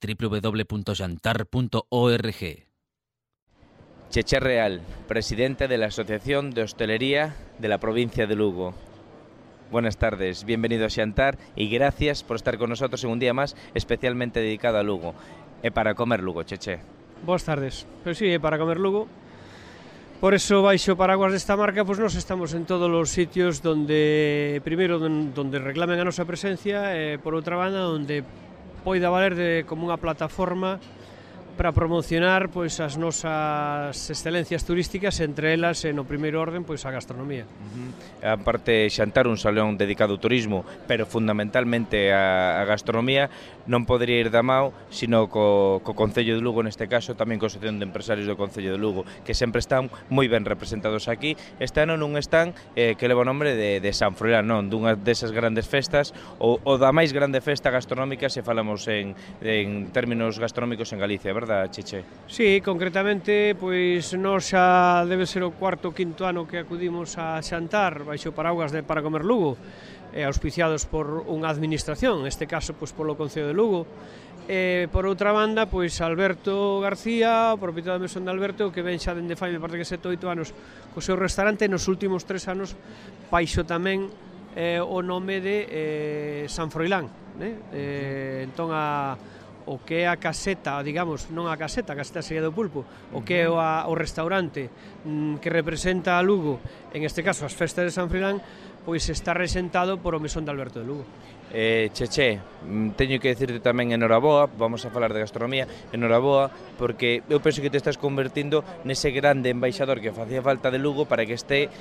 www.xantar.org. Cheche Real, presidente de la Asociación de Hostelería de la provincia de Lugo. Buenas tardes, bienvenido a Xantar y gracias por estar con nosotros en un día más especialmente dedicado a Lugo. É para comer Lugo, Cheche. Boas tardes, pois sí, é para comer Lugo. Por eso, baixo o paraguas desta marca, pois nós estamos en todos os sitios donde, primeiro, donde reclamen a nosa presencia, e por outra banda, onde poida valer como unha plataforma para promocionar pois as nosas excelencias turísticas, entre elas, no primeiro orden, pois a gastronomía. A parte Xantar, un salón dedicado ao turismo, pero fundamentalmente a gastronomía, non podería ir da mao, sino co Concello de Lugo, neste caso, tamén co Asociación de Empresarios do Concello de Lugo, que sempre están moi ben representados aquí. Este ano nun stand que leva o nombre de San Froilán, non? Dunha desas grandes festas, ou da máis grande festa gastronómica se falamos en términos gastronómicos en Galicia, verdade, Cheche? Sí, concretamente, pois nós xa debe ser o cuarto ou quinto ano que acudimos a Xantar baixo paraguas de Para Comer Lugo, auspiciados por unha administración, neste caso pois polo Concello de Lugo. Por outra banda, pois Alberto García, o propietario da Mesón de Alberto, que ven xa dende fai, me parece que 7 ou 8 anos, co seu restaurante, nos últimos 3 anos baixo tamén o nome de San Froilán, entón o que é a caseta, digamos, non a caseta sería do pulpo, o que é o restaurante que representa a Lugo, en este caso as festas de San Froilán, pois está resentado por o Mesón de Alberto de Lugo. Cheche, teño que decirte tamén enhoraboa, vamos a falar de gastronomía, enhoraboa, porque eu penso que te estás convertindo nese grande embaixador que facía falta de Lugo para que este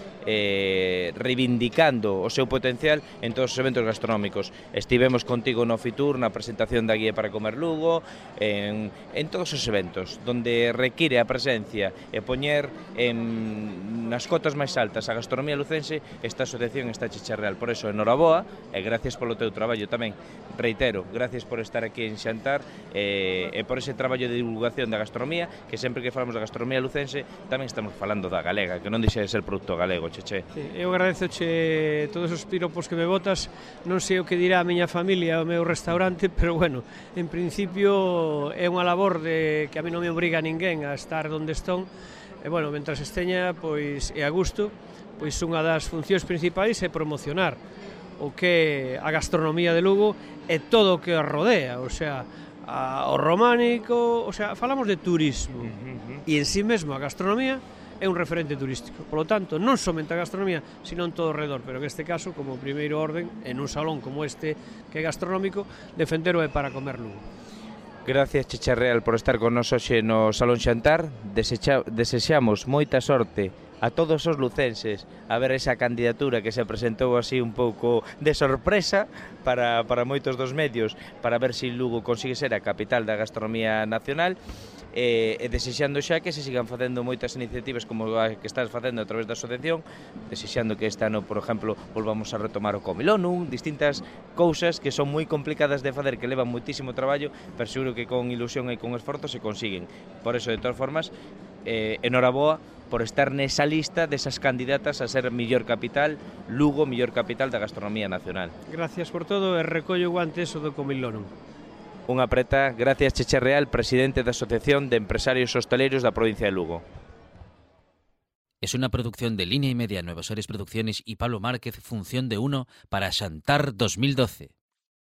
reivindicando o seu potencial en todos os eventos gastronómicos. Estivemos contigo no Fitur, na presentación da Guía para Comer Lugo, en todos os eventos, donde require a presencia e poñer nas cotas máis altas a gastronomía lucense, esta asociación está Cheche Real. Por eso, enhoraboa e gracias polo teu traballo tamén. Reitero, gracias por estar aquí en Xantar e por ese traballo de divulgación da gastronomía, que sempre que falamos da gastronomía lucense tamén estamos falando da galega, que non deixa de ser produto galego, Cheche. Sí, eu agradezoche todos os piropos que me botas, non sei o que dirá a miña familia o meu restaurante, pero bueno, en principio é unha labor que a mí non me obriga a ninguén a estar onde estou, e bueno, mentras esteña, pois é a gusto, pois unha das funcións principais é promocionar o que a gastronomía de Lugo e todo o que a rodea, o sea, o románico, o sea, falamos de turismo, e en sí mesmo a gastronomía é un referente turístico. Por lo tanto, non somente a gastronomía, sino en todo o redor, pero en este caso, como primeiro orden, en un salón como este que é gastronómico, defendero é Para Comer Lugo. Gracias, Cheche Real, por estar con nos hoxe no Salón Xantar. Desexamos moita sorte a todos os lucenses a ver esa candidatura que se presentou así un pouco de sorpresa para moitos dos medios, para ver se Lugo consigue ser a capital da gastronomía nacional, e desexando xa que se sigan facendo moitas iniciativas como a que estás facendo a través da asociación, desexando que este ano, por exemplo, volvamos a retomar o Comilonu, distintas cousas que son moi complicadas de facer, que levan moitísimo traballo, pero seguro que con ilusión e con esforzo se consiguen. Por eso, de todas formas, enhoraboa por estar nesa lista desas candidatas a ser mellor capital, Lugo, mellor capital da gastronomía nacional. Gracias por todo e recollo o guante eso do Comilonu. Unha preta, gracias Cheche Real, presidente da Asociación de Empresarios Hosteleiros da provincia de Lugo. Es una producción de Línea y Media, Nuevos Aires Producciones y Pablo Márquez, función de 1 para Xantar 2012.